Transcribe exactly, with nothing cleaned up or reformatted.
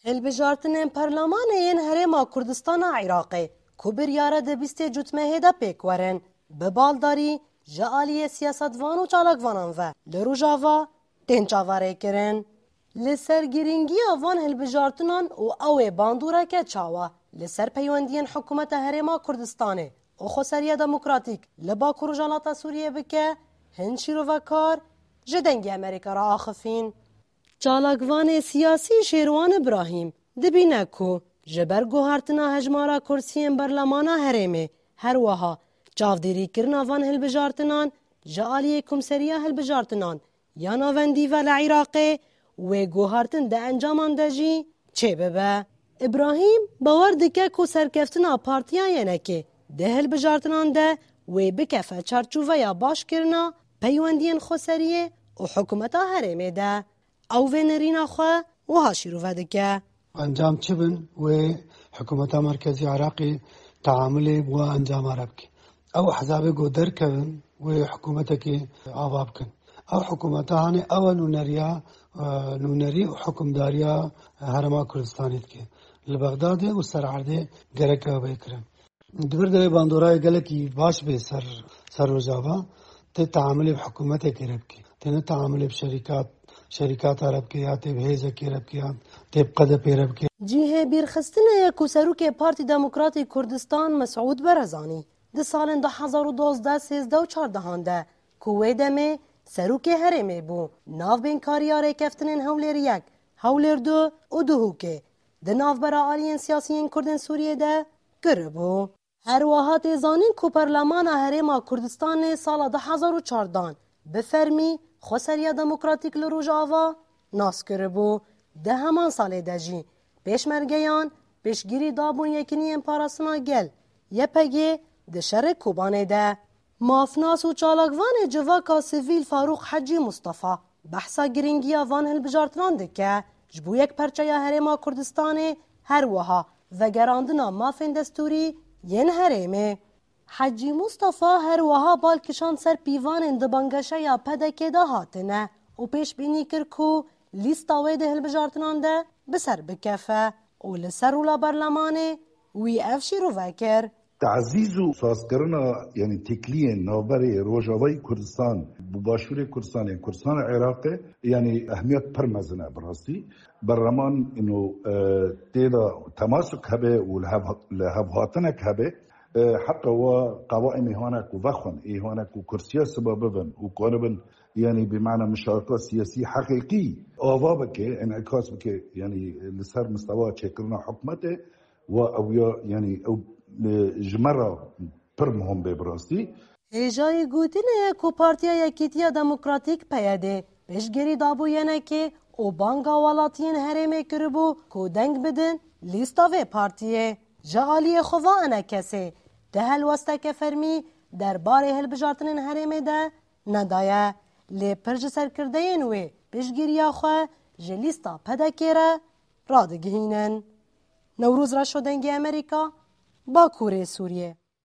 Hilbijartinên Perlemanê yên Herêma Kurdistana Iraqê ku biryare di bîstê Cotmehê de pêk werin, bi baldarî ji aliyê siyasetvan û çalakvanan ve li Rojava tên çaverêkirin. Li ser girîngiya van hilbijartinan û ew ê bandoreke çawa li ser peywendiyên Hikûmeta Herêma Kurdistanê û Xweseriya Demokratîk li Bakur Rojhilata Sûriyê bike, hin şîrovekar ji Dengê Amerîka re axifîn. Çalakvanê siyasî Şêrwan Îbrahîm dibîne ku ji ber guhartina hejmara kursiyên berlemana herêmê, her wiha çavdêrîkirina van hilbijartinan ji aliyê Komseriya Hilbijartinan ya Navendî ve li Iraqê wê guhartin di encaman de jî çêbibe. Îbrahîm bawer dike ku serkeftina Partiya Y N K'ê di hilbijartinan de wê bikefe çarçoveya başkirina peywendiyên xweseriyê û hikûmeta herêmê de. Ew vê nirîna xwe wiha şîrove dike. Encam çi bin, wê hikûmeta merkezî Iraqê teamulê bi we encama re bike. Ew ehzabê ku derkevin, wê hikûmetekê ava bikin. Ew hikûmeta hanê ew e nûneriya, e, nûnerî û hikûmdariya Herêma Kurdistanê dike. Li Bexdadê û ser erdê gerek ew bê kirin. Di vir de wê bandorayê gelekî baş bê ser, ser Rojava, tê teamulê bi hikûmetekê re bike. Tê ne teamulê bi şerîkat, şerîkata re bike ya tê bi hêzekê re bike ya tê bi Q D P re bike. Cihê bîrxistinê ye ku Serokê Partî Demokratî Kurdistan Mesûd Barzanî di salên du hezar û dozdeh, sêzdeh û çardehan de ku wê demê Serokê Herêmê bû, navbênkariya rêkeftinên Hewlêr yek, Hewlêr du û Duhokê di navbera aliyên siyasî yên Kurdên Sûriyê de kiribû. Her wiha tê zanîn ku Perlemana Herêma Kurdistanê sala du hezar û çardehan bi fermî Xweseriya Demokratîk li Rojava nas kiribû. Di heman salê de jî pêşmergeyan piştgirî dabûn Yekîniyên Parastina Gel, Y P G, di şerê Kobanê de. Mafnas û çalakvanê civaka sivîl Farûq Hecî Mustafa behsa girîngiya van hilbijartinan dike ji bo yekperçeya Herêma Kurdistanê, her wiha vegerandina mafên destûrî yên herêmê. Hecî Mustafa her wiha bal kişand ser pîvanên di bangeşeya P D K'ê de hatine û pêşbînî kir ku lîsta wê di hilbijartinan de bi ser bikefe û li ser rûla berlemanê wî ev şîrove kir. Tazîz û sazkirina, yanî têkiliyên navberê Rojavayî Kurdistan bi Başûrê Kurdistanê, Kurdistana Iraqê, yanî ehmiyet pir mezin e bi rastî. Berleman ino, e, tê de temasuk hebe û li hev, li hevhatinek hebe. E, heta wa qewaîmê hane ku vexwin, ê hane ku kursiya siba bibin û karibin, yanî bi mana muşareka siyasî heqîqî ava bike, en'ikas bike, yanî li ser mistewa çêkirina hikûmetê, wa ew ya, yanî ew, e, ji me re pir muhim bê bi rastî. Hêjayî gotinê ye ku Partiya Yekîtiya Demokratîk, P Y D, piştgirî dabû Y N K'ê û banga welatiyên herêmê kiribû ku deng bidin lîsta vê partiyê. Ji aliyê xwe va enekesê di helwesteke fermî derbarê hilbijartinên herêmê de nedaye, lê pir ji serkirdeyên wê piştgiriya xwe ji lîsta P D K'ê re radigihînin. Newroz Reşo, Dengê Amerîka, Bakurê Sûriyê.